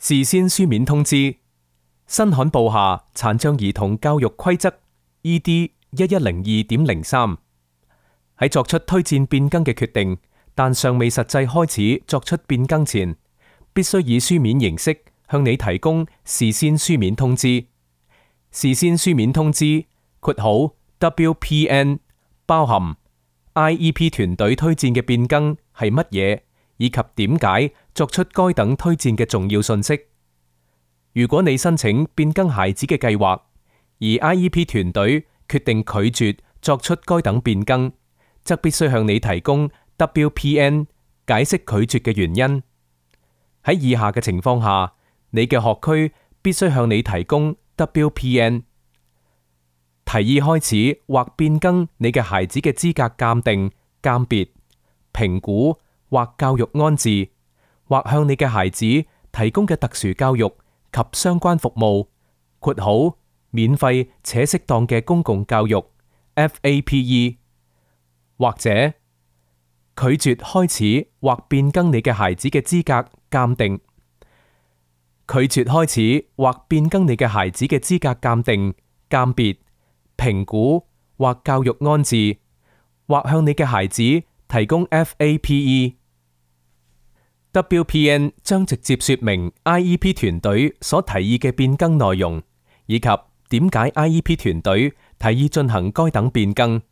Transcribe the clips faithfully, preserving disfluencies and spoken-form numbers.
事先書面通知。新罕布下殘障兒童教育規則 E D 一一零二點零三，喺作出推薦變更嘅決定，但尚未實際開始作出變更前，必須以書面形式向你提供事先書面通知。事先書面通知括號 W P N 包含 I E P 團隊推薦嘅變更係乜嘢，以及點解作出該等推薦嘅重要信息。如果你申請變更孩子嘅計劃，而 I E P 團隊決定拒絕作出該等變更，則必須向你提供 W P N 解釋拒絕嘅原因。喺以下嘅情況下，你嘅學區必須向你提供 W P N。提議開始或變更你嘅孩子嘅資格鑑定、鑑別、評估或教育安置，或向你嘅孩子提供嘅特殊教育及相關服務（括號免費且適當嘅公共教育 F A P E）， 或者拒絕開始或變更你嘅孩子嘅資格鑑定，拒絕開始或變更你嘅孩子嘅資格鑑定、鑑別、評估或教育安置，或向你嘅孩子提供 F A P E。W P N 將直接說明 I E P 團隊所提議嘅變更內容，以及點解 I E P 團隊提議進行該等變更。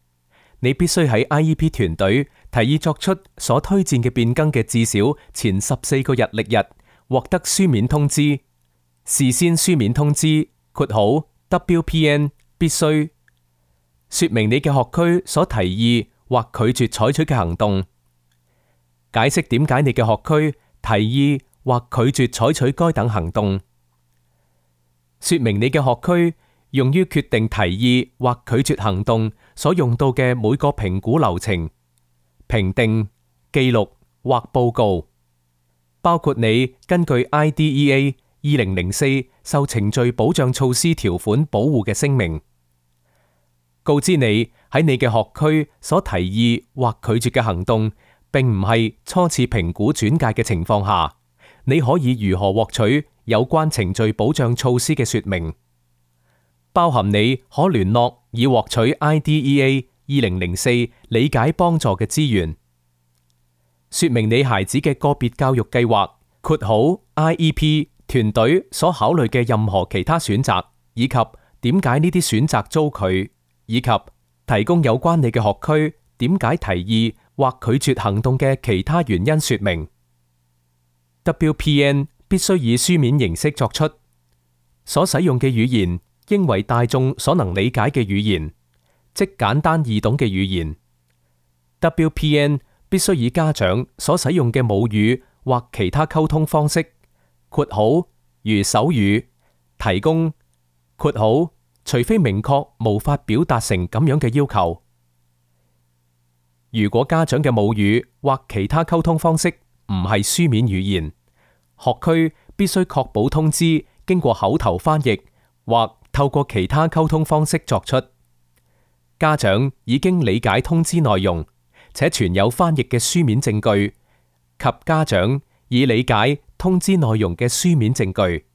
你必須喺 I E P 團隊提議作出所推薦嘅變更嘅至少前十四個日曆日獲得書面通知。事先書面通知括號 W P N 必須說明你嘅學區所提議或拒絕採取嘅行動，解釋點解你嘅學區提議或拒絕採取該等行動，說明你嘅學區用於決定提議或拒絕行動所用到嘅每個評估流程、評定、記錄或報告，包括你根據 I D E A 二零零四受程序保障措施條款保護嘅聲明，告知你喺你嘅學區所提議或拒絕嘅行動並唔係初次評估轉介嘅情況下，你可以如何獲取有關程序保障措施嘅說明，包含你可聯絡以獲取 I D E A 二零零四理解幫助嘅資源，說明你孩子嘅個別教育計劃括號 I E P 團隊所考慮嘅任何其他選擇，以及點解呢啲選擇遭拒，以及提供有關你嘅學區點解提議或拒絕行動嘅其他原因說明。W P N 必須以書面形式作出，所使用嘅語言應為大眾所能理解嘅語言，即簡單易懂嘅語言。W P N 必須以家長所使用嘅母語或其他溝通方式括號如手語提供括號除非明確無法表達成咁樣嘅要求。如果家長嘅母語或其他溝通方式唔係書面語言，學區必須確保通知經過口頭翻譯或透過其他溝通方式作出。家長已經理解通知內容，且存有翻譯嘅書面證據，及家長已理解通知內容嘅書面證據。